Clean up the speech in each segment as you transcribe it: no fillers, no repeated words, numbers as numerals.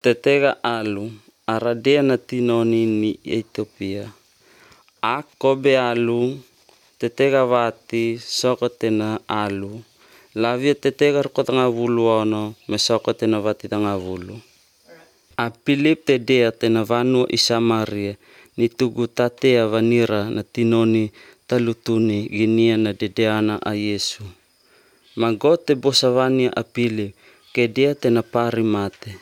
Tetega alu, aradea na tinoni ni Ethiopia. Kobe alu, tetega vati, soko tena alu. Lavia tetega rukotanga vulu ono, me soko tena vati tanga vulu. A Philip te dea tena vanua i Samaria, ni tugu tatea vanira na tinoni talutuni ginia na dedeana a Yesu. Magote bosavania a Philip, ke dea tena pari mate.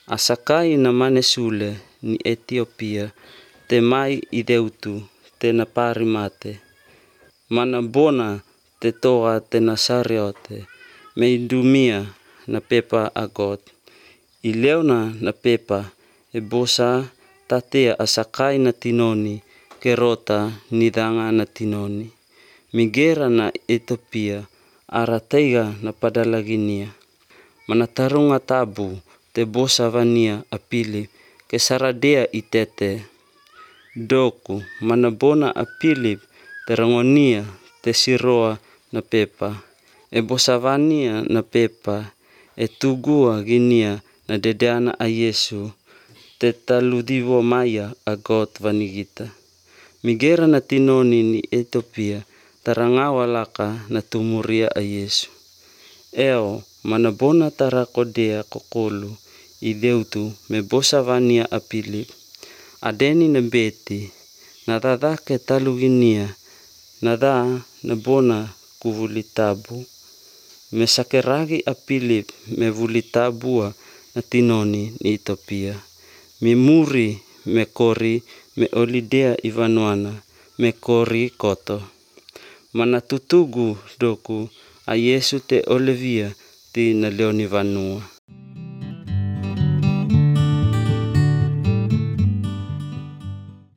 Asakai na mane sule ni Ethiopia, te mai i deutu, tena pari mate. Mana bona te toa tena sariote, me idumia na pepa agot. I leona na pepa, e bosa tatea asakai na tinoni, kerota nidanga na tinoni. Migera na Ethiopia, arateiga na padalaginia. Mana tarunga tabu, te bosa vania a Philip, ke saradea i tete. Doku, mana bona a Philip, te rangonia, te siroa na pepa. E bosa vania na pepa, e tugua ginia na dedeana a Yesu, te taludivo maya a got vanigita. Migera na tinoni ni Ethiopia, tarangawa laka na tumuria a Yesu. Eo, mana bona tarakodea kokolu, i deutu me bosa vania a Philip. Adeni na beti, na dadake taluginia, na da na bona kuvulitabu. Me sakeragi a Philip me vulitabua na tinoni ni Ethiopia. Me muri, me kori, me olidea ivanuana, me kori koto. Mana tutugu doku a Yesu te olivia ti na leoni vanua.